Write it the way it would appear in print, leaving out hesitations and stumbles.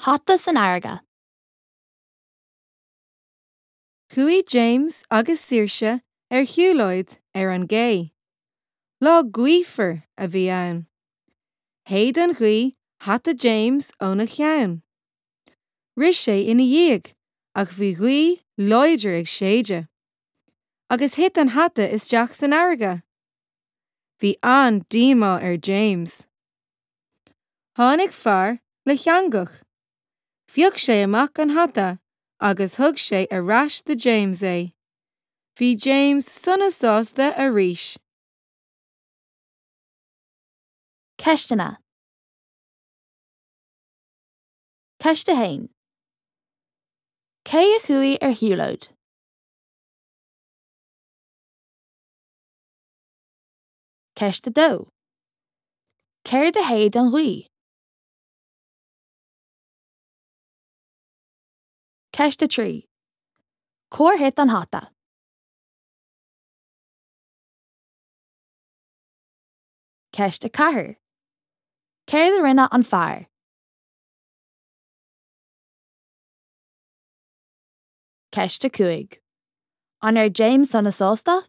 Hata san fharraige. Chuaigh James agus Saoirse ar shiúlóid ar an gcé. Lá gaofar a bhí ann. Shéid an ghaoth hata James óna cheann. Rith sé ina dhiaidh ach bhí gaoth láidir ag séideadh. Agus thit an hata isteach san fharraige. Bhí an-díomá ar James. Tháinig fear le heangach. Phioc sé amach an hata agus thug sé ar ais do James é. Bhí James sona sásta arís. Ceisteanna. Ceist 1. Cé a chuaigh ar shiúlóid? Ceist 2. Céard a shéid an ghaoth? Ceist 3. Cár thit an hata? Ceist 4. Céard a rinne an fear? Ceist 5. An raibh James sona sásta?